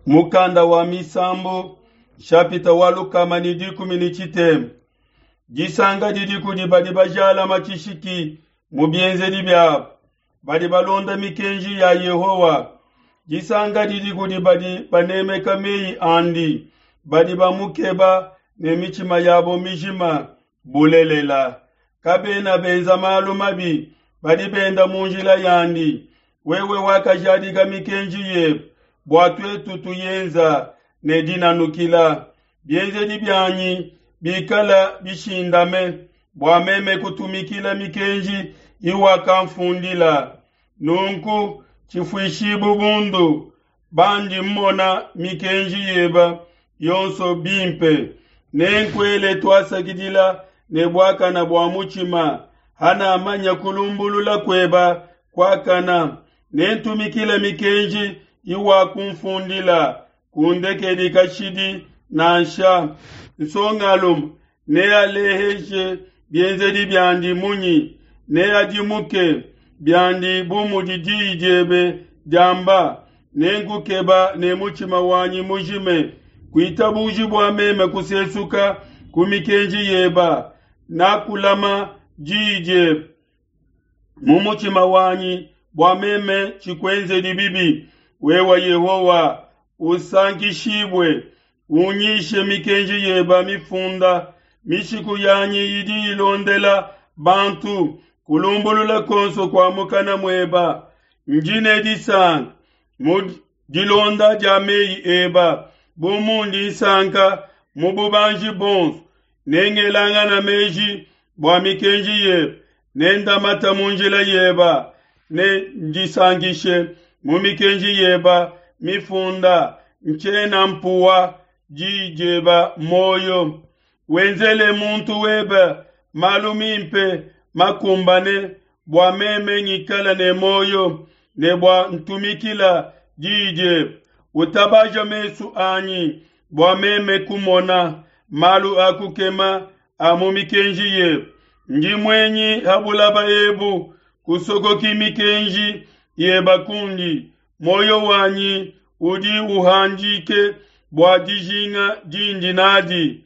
Mukanda wa Misambu, nshapita wa 113. Disanka didi kudi badi bajalama tshishiki mu bienzedi biabu, badi balonda mikenji ya Yehowa. Disanka didi kudi badi banemeka meyi andi, badi bamukeba ne mitshima yabo mijima bulelela. Kabena benza malu mabi, badi benda mu njila yandi. Wewe wakajadika mikenji yebe bua tuetu tuyenza ne dinanukila. Bienzedi bianyi bikala bishindame bua meme kutumikila mikenji iwakamfundila. Nunku tshifuishibu bundu bandi mmona mikenji yeba yonso bimpe. Nenkuele tuasakidila ne buakana bua mutshima, hanamanya kulumbulula kueba kuakana. Nentumikile mikenji iwakumfundila, kundekedi kashidi nansha. Nsongalume nealeheshe bienzedi biandi munyi? Neadimuke biandi bu mudi diyi diebe diamba. Nenkukeba ne mutshima wanyi mujime. Kuitabuji bua meme kusesuka ku mikenji yeba. Nakulama diyi diebe mu mutshima wanyi bua meme tshikuenzedi bibi. Wewe Yehowa, usankishibue, unyishe mikenji yeba mifunda. Mishiku yanyi idi ilondela bantu kulumbulula kuonso kua mukana mueba. Ndi ne disanka mu dilonda dia meyi eba, bu mundi nsanka mu bubanji buonso. Nengelangana meji bua mikenji yebe, nendamata mu njila yeba, ne ndisankishe mu mikenji yeba mifunda. Ntshiena mpuwa diyi dieba muoyo. Wenzele muntu webe malu mimpe makumbane, bua meme ngikala ne muoyo ne bua ntumikila diyi diebe. Utabaja mesu anyi bua meme kumona malu a kukema a mu mikenji yebe. Ndi muenyi ha bulaba ebu, kusokoki mikenji yeba kundi. Muoyo wanyi udi uhandike bua dijinga dindi nadi.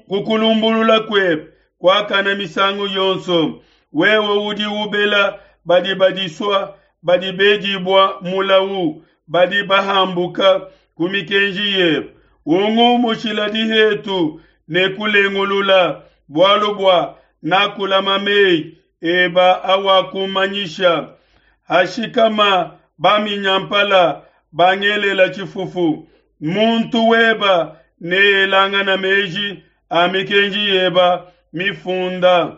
Kukulumbulula kuebe kuakana misangu yonso. Wewe udi ubela badi badisua, badi bedibua mulau, badi bahambuka ku mikenji yebe. Ungumushila dihetu ne kulengulula, bualu bua nakulama meyi eba awakumanyisha. Hashikama baminyampala bangelela tshifufu, muntu weba neelangana meji a mikenji yeba mifunda.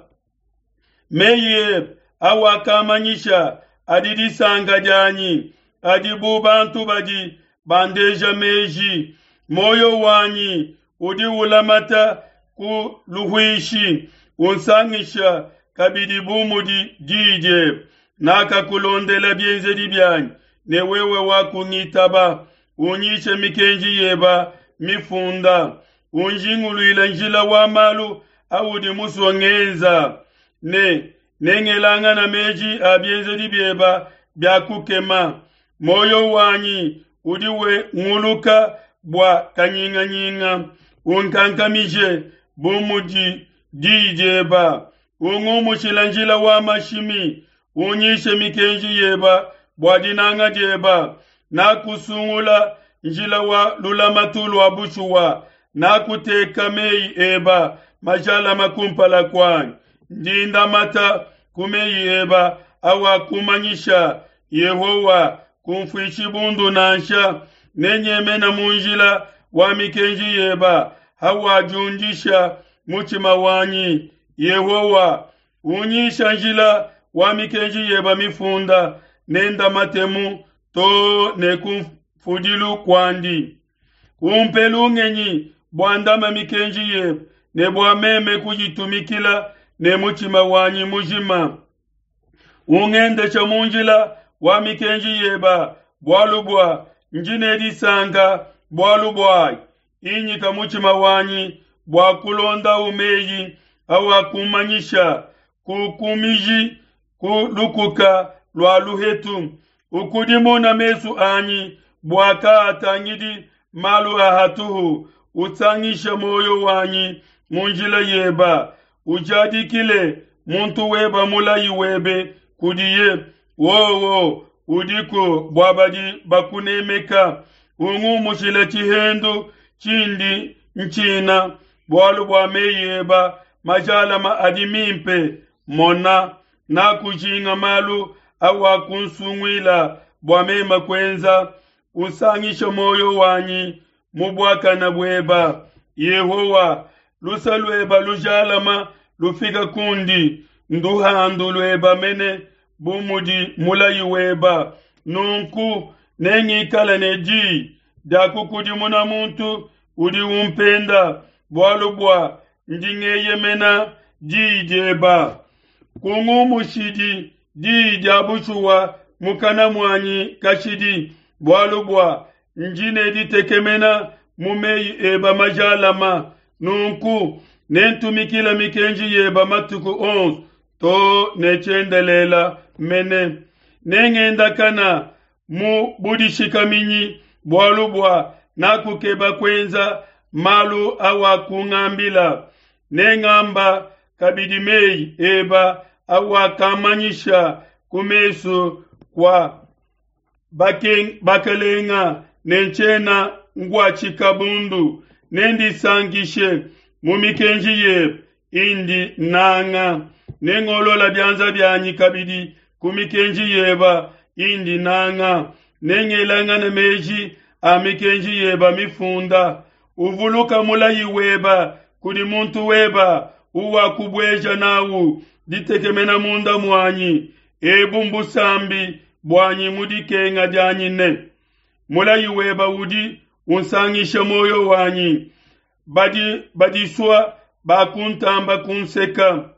Meyi ebe awakamanyisha adi disanka dianyi, adi bu bantu badi bandeja meji. Muoyo wanyi udi ulamata ku luhuishi, unsangisha kabidi bu mudi diyi diebe. Nakakulondela bienzedi bianyi, ne wewe wakungitaba. Unyishe mikenji yeba mifunda, unjinguluile njila wa malu audi musue ngenza, ne nengelangana meji a bienzedi bieba bia kukema. Muoyo wanyi udi wenguluka bua kanyinganyinga, unkankamije bu mudi diyi dieba. Ungumushila njila wa mashimi, unyishe mikenji yeba bua dinanga dieba. Nakusungula njila wa lulamatu lua bushuwa, nakuteka meyi eba majalama kumpala kuanyi. Ndi ndamata ku meyi eba awakumanyisha. Yehowa, kumfuishi bundu nansha. Nenyemena mu njila wa mikenji yeba hawadiundisha mutshima wanyi. Yehowa, unyisha njila wa mikenji yeba mifunda, nendamatemu to ne kumfudilu kuandi. Umpe lungenyi bua ndama mikenji yebe, ne bua meme kuyitumikila ne mutshima wanyi mujima. Ungendesha mu njila wa mikenji yeba, bualu bua ndi ne disanka bualu buayi. Inyika mutshima wanyi bua kulondawu meyi awakumanyisha. Kukumiji ku lukuka lua luhetu. Ukudimuna mesu anyi. bua kaatangidi malu a hatuhu. Usangishe muoyo wanyi mu njila yeba, ujadikile muntu weba mulayi webe kudiye. Wowo udiku bua badi bakunemeka. Ungumushile tshihendu tshindi ntshina, bualu bua meyi eba majalama adi mimpe. Mona, nakujinga malu awakunsunguila bua meme kuenza. Usangishe muoyo wanyi mu buakana bueba. Yehowa, luse lueba lujalama lufika kundi, nduhandu lueba mene bu mudi mulayi weba. Nunku nengikale ne diyi dia kukudimuna muntu udi umpenda, bualu bua ndi ngeyemena diyi dieba. Kungumushidi diyi dia bushuwa mukana muanyi kashidi, bualu bua ndi ne ditekemena mu meyi eba majalama. Nunku nentumikile mikenji yeba matuku onso too ne tshiendelela mene. Nengendakana mu budishikaminyi, bualu bua nakukeba kuenza malu awakungambila. Nengamba kabidi meyi eba awakamanyisha ku mesu kua bakalenga, ne ntshiena nkuatshika bundu. Nendisankishe mu mikenji yebe indi nanga. Nengolola bianza bianyi kabidi ku mikenji yeba indi nanga. Nengelangane meji a mikenji yeba mifunda. Uvuluka mulayi weba kudi muntu weba uwakubueja nawu ditekemena munda muanyi. Ebu mbusambi buanyi mu dikenga dianyi ne mulayi weba udi unsangisha muoyo wanyi. Badi badisua bakuntamba kunseka,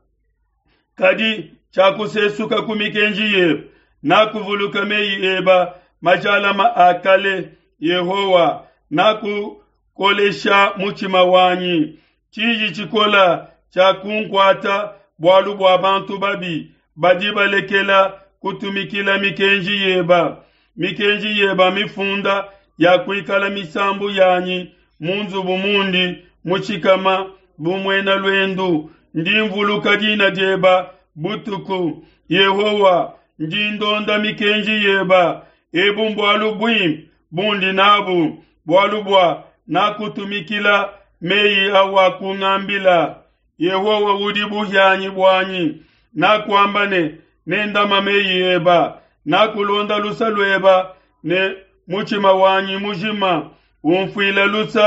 kadi tshiakusesuka ku mikenji yebe. Nakuvuluka meyi eba majalama a kale, Yehowa, nakukolesha mutshima wanyi. Tshiji tshikola tshiakunkuata bualu bua bantu babi badi balekela kutumikila mikenji yeba. Mikenji yeba mifunda ya kuikala misambu yanyi mu nzubu mundi mushikama bu muena luendu. Ndi mvuluka dina dieba butuku, Yehowa, ndi ndonda mikenji yeba. Ebu mbualu buimpe bundi nabu, bualu bua nakutumikila meyi awakungambila. Yehowa udi buhianyi buanyi, nakuamba ne, nendama meyi eba. Nakulonda luse lueba ne mutshima wanyi mujima, umfuile luse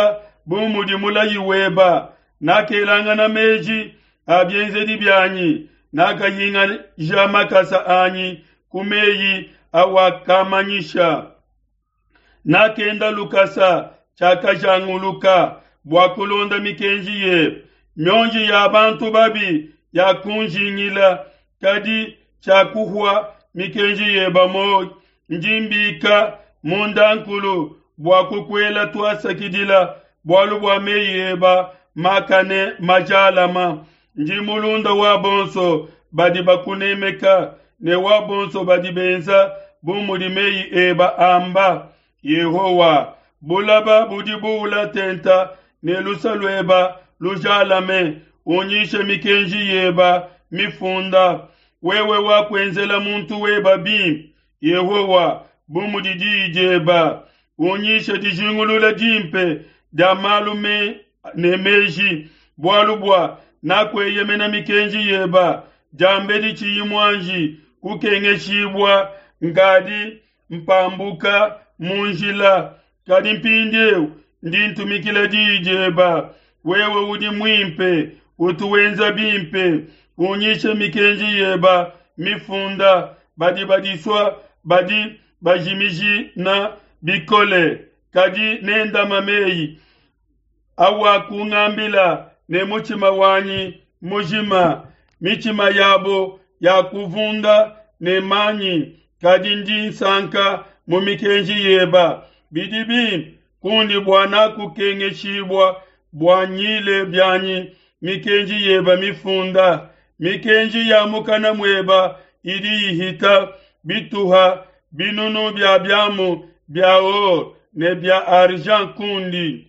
bu mudi mulayi weba. Nakelangana meji a bienzedi bianyi, nakahingaja makasa anyi ku meyi awakamanyisha. Nakenda lukasa tshiakajanguluka bua kulonda mikenji yebe. Mionji ya bantu babi yakunjingila, kadi tshiakuhua mikenji yeba muoyo. Ndi mbika mundankulu bua kukuela tuasakidila, bualu bua meyi eba makane majalama. Ndi mulunda wa bonso badi bakunemeka, ne wa bonso badi benza bu mudi meyi eba amba. Yehowa, bulaba budi buula tenta ne luse lueba lujalame, unyishe mikenji yeba mifunda. Wewe wakuenzela muntu weba bimpe, Yehowa, bu mudi diyi dieba. Unyishe dijingulula dimpe dia malu me ne meji, bualu bua nakueyemena mikenji yeba. Diambedi tshiyi muanji kukengeshibua, nkadi mpambuka mu njila, kadi mpindieu ndi ntumikila diyi dieba. Wewe udi muimpe, utu wenza bimpe, unyishe mikenji yeba mifunda. Badi badisua badi bajimijina bikole, kadi nendama meyi awakungambila ne mutshima wanyi mujima. Mitshima yabo yakuvunda ne manyi, kadi ndi nsanka mu mikenji yeba. Bidi bimpe kundi bua nakukengeshibua, bua nyile bianyi mikenji yeba mifunda. Mikenji ya mukana mueba idi ihita bituha binunu bia biamu. bia or ne bia argent kundi.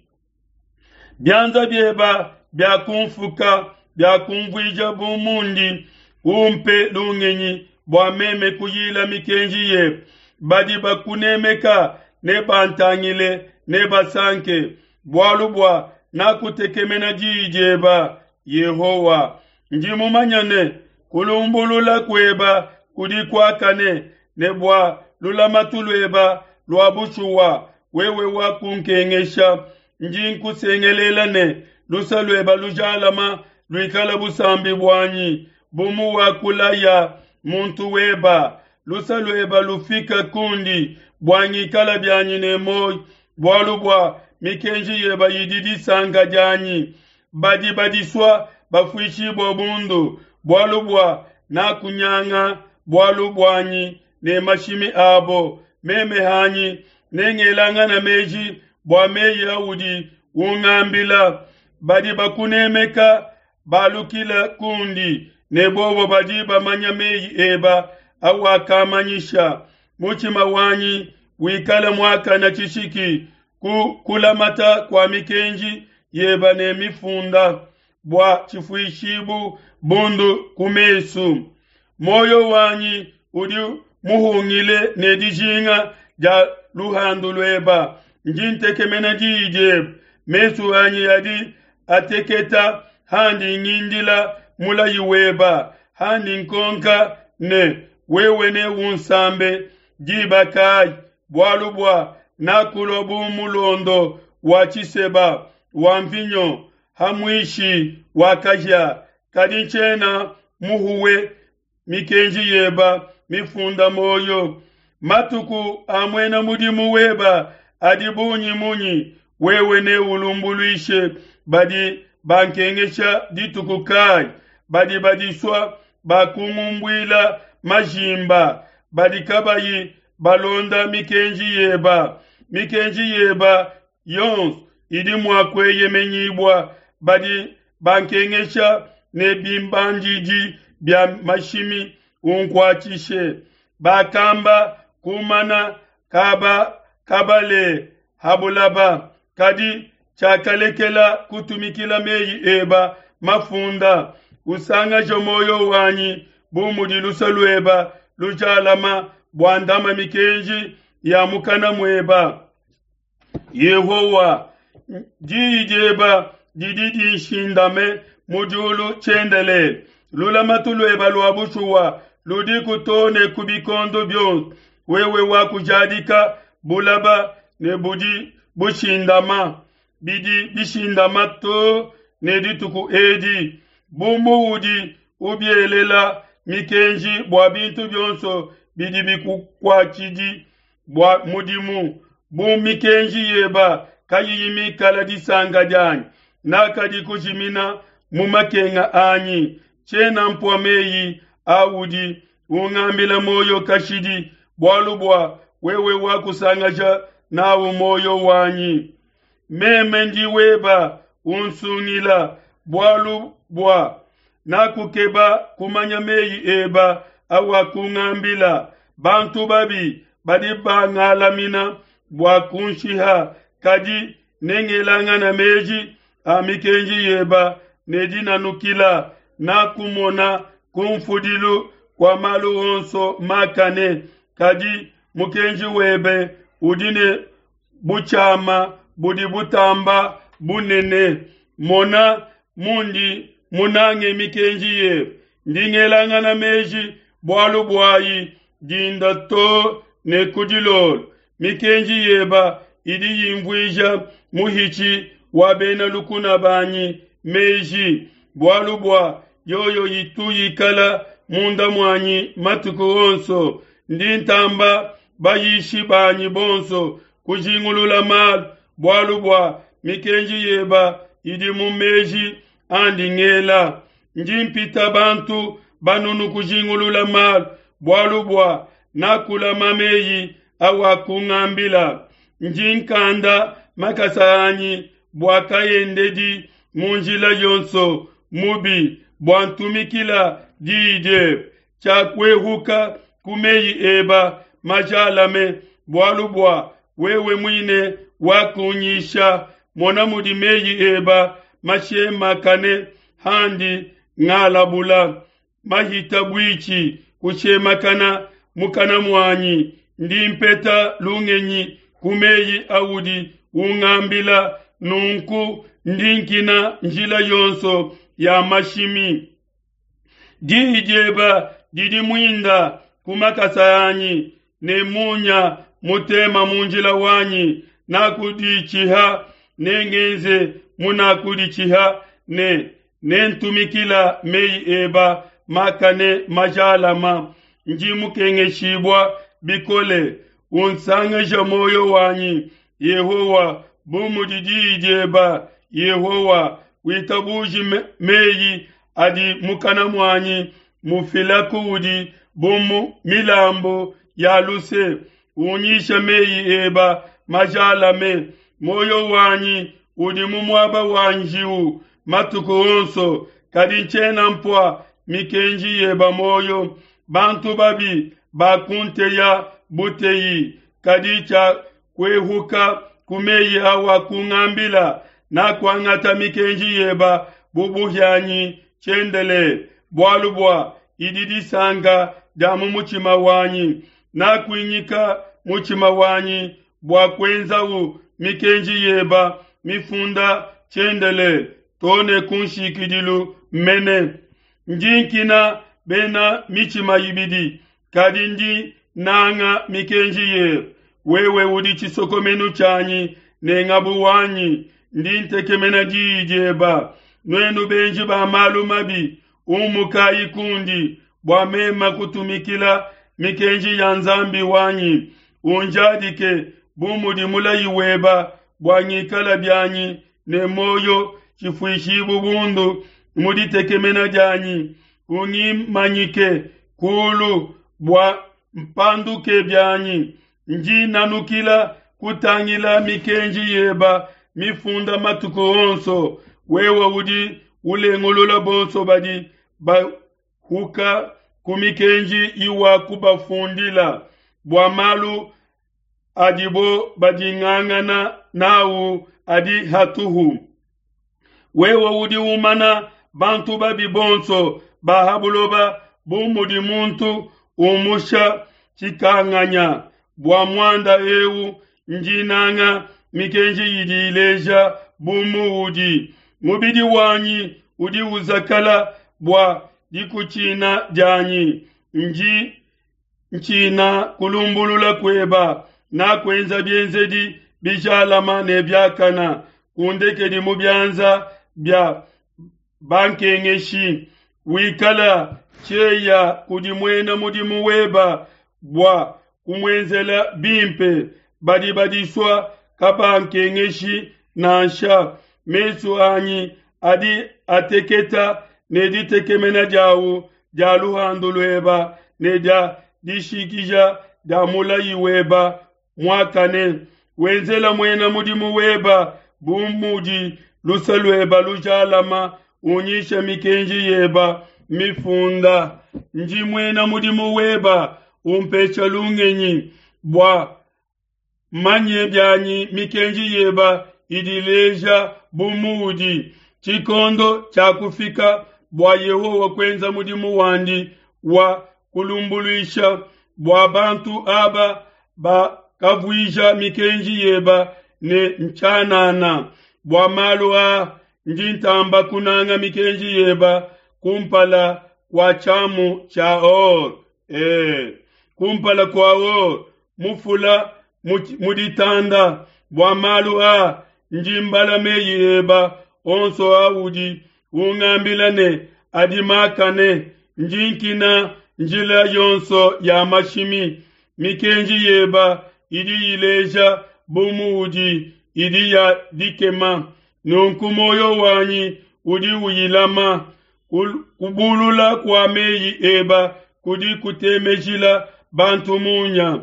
Bianza bieba biakumfuka, biakumvuija bu mundi. Umpe lungenyi bua meme kuyila mikenji yebe. Badi bakunemeka nebantangile, nebasanke, bualu bua nakutekemena diyi dieba, Yehowa. Ndi mumanye ne, kulumbulula kueba kudi kuakane, ne bua lulamatu lueba lua bushuwa wewe wakunkengesha. Ndi nkusengelela ne, luse lueba lujalama luikale busambi buanyi, bu muwakulaya muntu weba. Luse lueba lufika kundi bua ngikala bianyi ne muoyo, bualu bua mikenji yeba idi disanka dianyi. Badi badisua bafuishibua bundu, bualu bua nakunyanga bualu buanyi ne mashimi abo. Meme hanyi nengelangana meji bua meyi audi ungambila. Badi bakunemeka balukila kundi, ne bobo badi bamanya meyi eba awakamanyisha. Mutshima wanyi wikale muakane tshishiki ku kulamata kua mikenji yeba ne mifunda, bua tshifuishibu bundu ku mesu. Muoyo wanyi udi muhungile ne dijinga dia luhandu lueba. Ndi ntekemena diyi diebe. Mesu anyi adi ateketa handi ngindila mulayi weba, handi nkonka ne, wewe neunsambe diba kayi? Bualu bua nakulua bu mulondo wa tshiseba wa mvinyo ha muishi wa kahia, kadi ntshiena muhuwe mikenji yeba mifunda muoyo. Matuku a muena mudimu weba adi bungi munyi? Wewe neulumbuluishe badi bankengesha dituku kayi? Badi badisua bakungumbuila majimba, badi kabayi balonda mikenji yeba. Mikenji yeba yonso idi mua kueyemenyibua. Badi bankengesha ne bimbandidi bia mashimi, unkuatshishe. Bakamba kumana kaba kabale habulaba, kadi tshiakalekela kutumikila meyi eba mafunda. Usangaje muoyo wanyi bu mudi luse lueba lujalama, bua ndama mikenji ya mukana mueba. Yehowa, diyi dieba didi dinshindame mu diulu tshiendelele. Lulamatu lueba lua bushuwa ludiku too ne ku bikondo bionso. Wewe wakujadika bulaba ne budi bushindama, bidi bishindama too ne dituku edi. Bu muudi ubielela mikenji bua bintu bionso bidi bikukuatshidi bua mudimu, bu mikenji yeba kayiyi mikala disanka dianyi, nakadi kujimina mu makenga anyi. Tshiena mpua meyi audi ungambila muoyo kashidi, bualu bua wewe wakusangaja nawu muoyo wanyi. Meme ndi weba, unsungila, bualu bua nakukeba kumanya meyi eba awakungambila. Bantu babi badi bangalamina bua kunshiha, kadi nengelangana meji a mikenji yeba ne dinanukila. Nakumona kumfudilu kua malu onso makane, kadi mukenji webe udi ne butshiama budi butamba bunene. Mona mundi munange mikenji yebe, ndi ngelangana meji bualu buayi dinda too ne ku dilolo. Mikenji yeba idi yimvuija muhitshi wa bena lukuna banyi meji, bualu bua yoyo itu yikala munda muanyi matuku onso. Ndi ntamba bayishi banyi bonso kujingulula malu, bualu bua mikenji yeba idi mu meji andi ngela. Ndi mpita bantu banunu kujingulula malu, bualu bua nakulama meyi awakungambila. Ndi nkanda makasa anyi bua kaendedi mu njila yonso mubi, bua ntumikila diyi diebe. Tshiakuehuka ku meyi eba majalame, bualu bua Wewe muine wakunyisha. Mona mudi meyi eba mashemakane handi ngalabula. Mahita buitshi kushemakana mukana muanyi. Ndi mpeta lungenyi ku meyi audi ungambila, nunku ndi nkina njila yonso ya mashimi. Diyi dieba didi muinda ku makasa anyi, ne munya mutema mu njila wanyi. Nakuditshiha, nengenze munakuditshiha, ne nentumikila meyi eba makane majalama. Ndi mukengeshibua bikole, unsangeja muoyo wanyi, Yehowa, bu mudi diyi dieba. Yehowa, witabuji meyi adi mukana muanyi mufila kuudi bu mu milambu ya luse. Unyisha meyi eba majalame. Muoyo wanyi udi mu muaba wa njiwu matuku onso, kadi ntshiena mpua mikenji yeba muoyo. Bantu babi bakunteya buteyi, kadi tshia kuehuka ku meyi awakungambila. Nakuangata mikenji yeba bu buhianyi tshiendelele, bualu bua idi disanka dia mu mutshima wanyi. Nakuinyika mutshima wanyi bua kuenzawu mikenji yeba mifunda tshiendelele too ne ku nshikidilu mene. Ndi nkina bena mitshima ibidi, kadi ndi nanga mikenji yebe. Wewe udi tshisokomenu tshianyi ne ngabu wanyi, ndi ntekemena diyi dieba. Nuenu benji ba malu mabi, umukayi kundi, bua mema kutumikila mikenji ya Nzambi wanyi. Unjadike bu mudi mulayi weba, bua ngikala bianyi ne muoyo tshifuishibu bundu mu ditekemena dianyi. Ungimanyike kulu bua mpanduke bianyi. Ndi nanukila kutangila mikenji yeba mifunda matuku onso. Wewe udi ulengulula bonso badi bahuka ku mikenji iwakubafundila, bua malu adibo badingangana nawu adi hatuhu. Wewe udi umana bantu babi bonso ba ha buloba bu mudi muntu umusha tshikanganya. Bua muanda eu ndi nanga mikenji idi ileja bu muudi. Mubidi wanyi udi uzakala bua dikutshina dianyi. Ndi ntshina kulumbulula kueba. Nakuenza bienzedi bijalama ne biakana. Kundekedi mu bianza bia bankengeshi. Wikala tshieya kudi muena mudimu weba bua kumuenzela bimpe. Badi badisua kabankengeshi nansha. Mesu anyi adi ateketa ne ditekemena diawu dia luhandu lueba ne dia dishikija dia mulayi weba muakane. Wenzela muena mudimu weba bu mudi luse lueba lujalama, unyisha mikenji yeba mifunda. Ndi muena mudimu weba, umpesha lungenyi bua manye bianyi mikenji yeba idi ileja bu muudi. Tshikondo tshiakufika bua Yehowa kuenza mudimu wandi wa kulumbuluisha bua bantu aba bakavuija mikenji yeba ne ntshianana. Bua malu aa ndi ntamba kunanga mikenji yeba kumpala kua tshiamu tshia or. Kumpala kua or mufula mu ditanda. Bua malu aa ndi mbala meyi eba onso audi ungambila ne adi makane. Ndi nkina njila yonso ya mashimi. Mikenji yeba idi ileja bu muudi idi ya dikema. Nunku muoyo wanyi udi uyilama. Kubulula kua meyi eba kudi kutemejila bantu munya,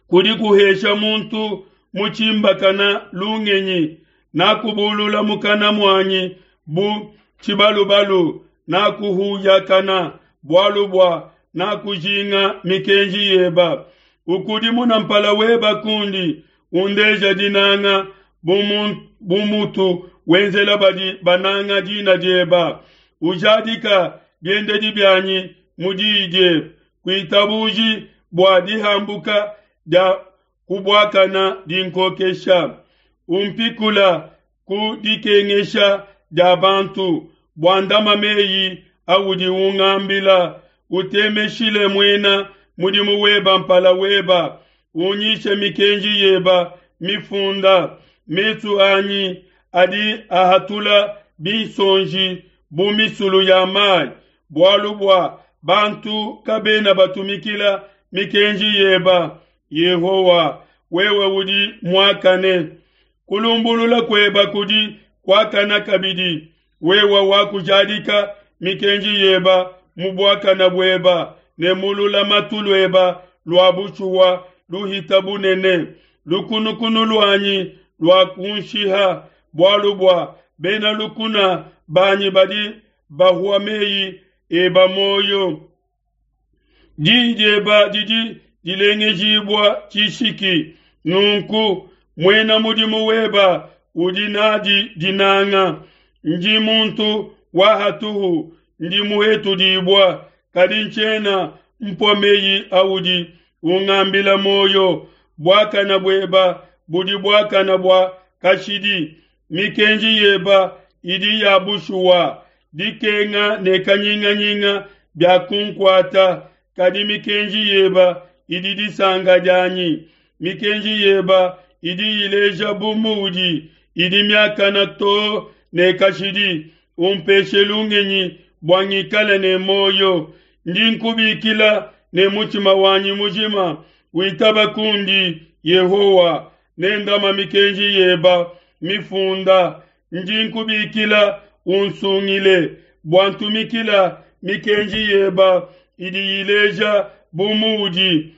kudi kuhesha muntu mutshimbakana lungenyi. Nakubulula mukana muanyi bu tshibalubalu, nakuhuyakana bualu bua nakujinga mikenji yeba. Ukudimuna mpala weba kundi, undeja dinanga bu mutu wenzela badi bananga dina dieba. Ujadika biendedi bianyi mu diyi diebe. Kuitabuji bua dihambuka dia kubuakana dinkokesha. Umpikula ku dikengesha dia bantu, bua ndama meyi audi ungambila. Utemeshile muena mudimu weba mpala weba, unyishe mikenji yeba mifunda. Mesu anyi adi ahatula binsonji bu misulu ya mayi, bualu bua bantu kabena batumikila mikenji yeba. Yehowa, wewe udi muakane, kulumbulula kueba kudi kuakana kabidi. Wewe wakujadika mikenji yeba mu buakana bueba ne mu lulamatu lueba lua bushuwa luhita bunene. Lukunukunu luanyi luakunshiha, bualu bua bena lukuna banyi badi bahua meyi eba muoyo. Diyi dieba didi dilengejibua tshishiki, nunku muena mudimu weba udi nadi dinanga. Ndi muntu wa hatuhu, ndi muhetudibua, kadi ntshiena mpua meyi audi ungambila muoyo. Buakana bueba budi buakana bua kashidi, mikenji yeba idi ya bushuwa. Dikenga ne kanyinganyinga biakunkuata, kadi mikenji yeba idi disanka dianyi. Mikenji yeba idi ileja bu muudi, idi miakana too ne kashidi. Umpeshe lungenyi bua ngikale ne muoyo. Ndi nkubikila ne mutshima wanyi mujima, witaba kundi, Yehowa, ne ndama mikenji yeba mifunda. Ndi nkubikila, unsungile, bua ntumikila mikenji yeba idi ileja bu muudi.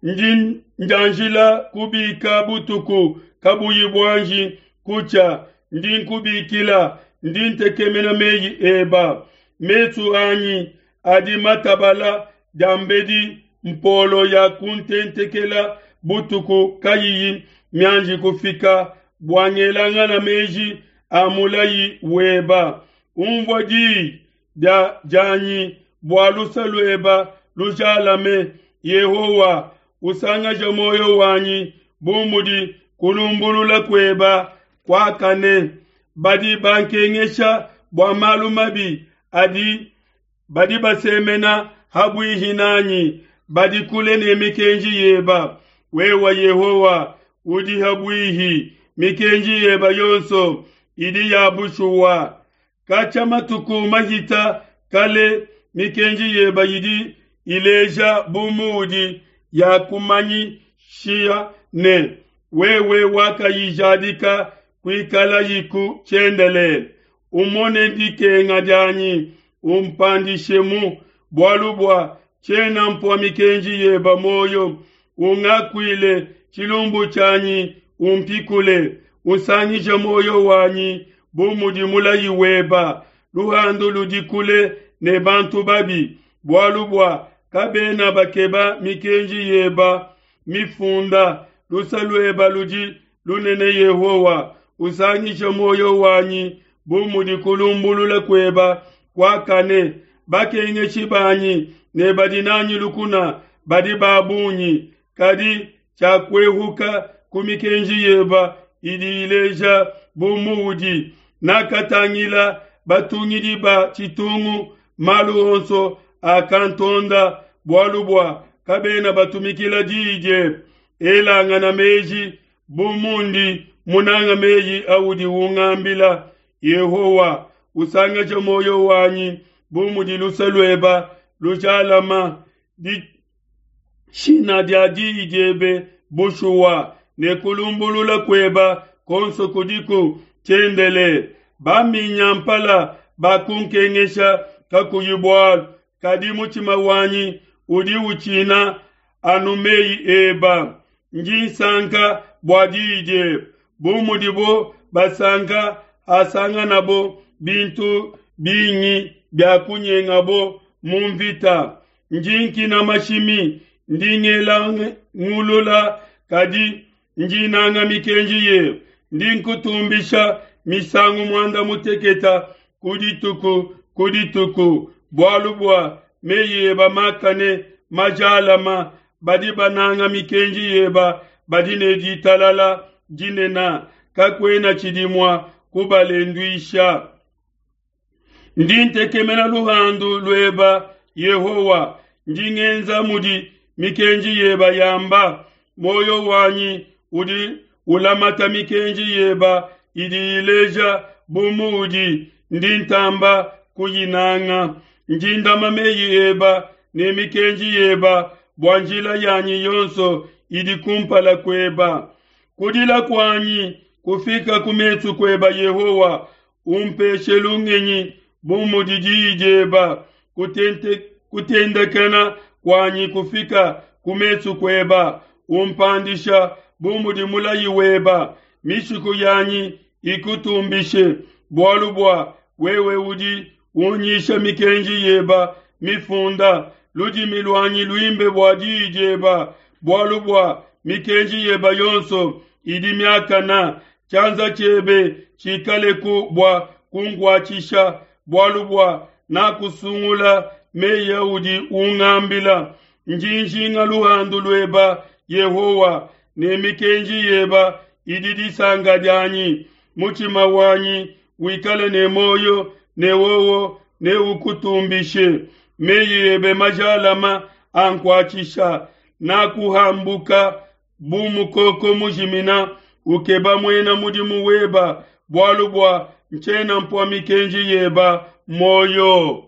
Ndi njanjila kubika butuku kabuyi buanji kutshia, ndi nkubikila, ndi ntekemena meyi eba. Mesu anyi adi matabala diambedi mpolo ya kuntentekela butuku kayiyi mianji kufika, bua ngelangana meji a mulayi weba. Umvua diyi dia dianyi bua luse lueba lujalame, Yehowa, usangaje muoyo wanyi bu mudi kulumbulula kueba kuakane. Badi bankengesha bua malu mabi adi badi basemena habuihi nanyi, badi kule ne mikenji yeba. Wewe Yehowa udi habuihi, mikenji yeba yonso idi ya bushuwa. Katshia matuku mahita kale, mikenji yeba idi ileja bu muudi ya kumanyishia ne wewe wakayijadika kuikalayiku tshiendelele. Umone dikenga dianyi, umpandishemu, bualu bua tshiena mpua mikenji yeba muoyo. Ungakuile tshilumbu tshianyi, umpikule, usangishe muoyo wanyi bu mudi mulayi weba. Luhandu ludi kule ne bantu babi, bualu bua kabena bakeba mikenji yeba mifunda. Luse lueba ludi lunene, Yehowa, usangishe muoyo wanyi bu mudi kulumbulula kueba kuakane. Bakengeshi banyi ne badi nanyi lukuna badi ba bungi, kadi tshiakuehuka ku mikenji yeba idi ileja bu muudi. Nakatangila batungidi ba tshitungu, malu onso akantonda, bualu bua kabena batumikila diyi diebe. Elangana meji bu mundi munanga meyi audi ungambila. Yehowa, usangaje muoyo wanyi bu mudi luse lueba lujalama. Dishina dia diyi diebe bushuwa, ne kulumbulula kueba konso kudiku tshiendelele. Baminyampala bakunkengesha kakuyi bualu, kadi mutshima wanyi udi utshina anu meyi eba. Ndi nsanka bua diyi diebe, bu mudibo basanka hasanganabo bintu bingi bia kunyengabo mu mvita. Ndi nkina mashimi, ndi. ngulula, kadi ndi nanga mikenji yebe. Ndi nkutumbisha misangu muanda muteketa ku dituku ku dituku, bualu bua meyi eba makane majalama. Badi bananga mikenji yeba badi ne ditalala dinene, kakuena tshidi mua kubalenduisha. Ndi ntekemena luhandu lueba Yehowa, ndi ngenza mudi mikenji yeba yamba. Muoyo wanyi udi ulamata mikenji yeba idi ileja bu muudi, ndi ntamba kuyinanga. Ndi ndama meyi eba ne mikenji yeba, bua njila yanyi yonso idi kumpala kueba. Kudila kuanyi kufika ku mesu kueba Yehowa, umpeshe lungenyi bu mudi diyi dieba. Kutendekena kuanyi kufika ku mesu kueba, umpandisha bu mudi mulayi weba. Mishiku yanyi ikutumbishe, bualu bua wewe udi unyisha mikenji yeba mifunda. Ludimi luanyi luimbe bua diyi dieba, bualu bua mikenji yeba yonso idi miakana. Tshianza tshiebe tshikaleku bua kunkuatshisha, bualu bua nakusungula meyi audi ungambila. Ndi njinga luhandu lueba Yehowa, ne mikenji yeba idi disanka dianyi. Mutshima wanyi wikale ne muoyo, ne wowo neukutumbishe. Meyi ebe majalama ankuatshisha, nakuhambuka bu mukoko mujimina. Ukeba muena mudimu weba, bualu bua ntshiena mpua mikenji yeba muoyo.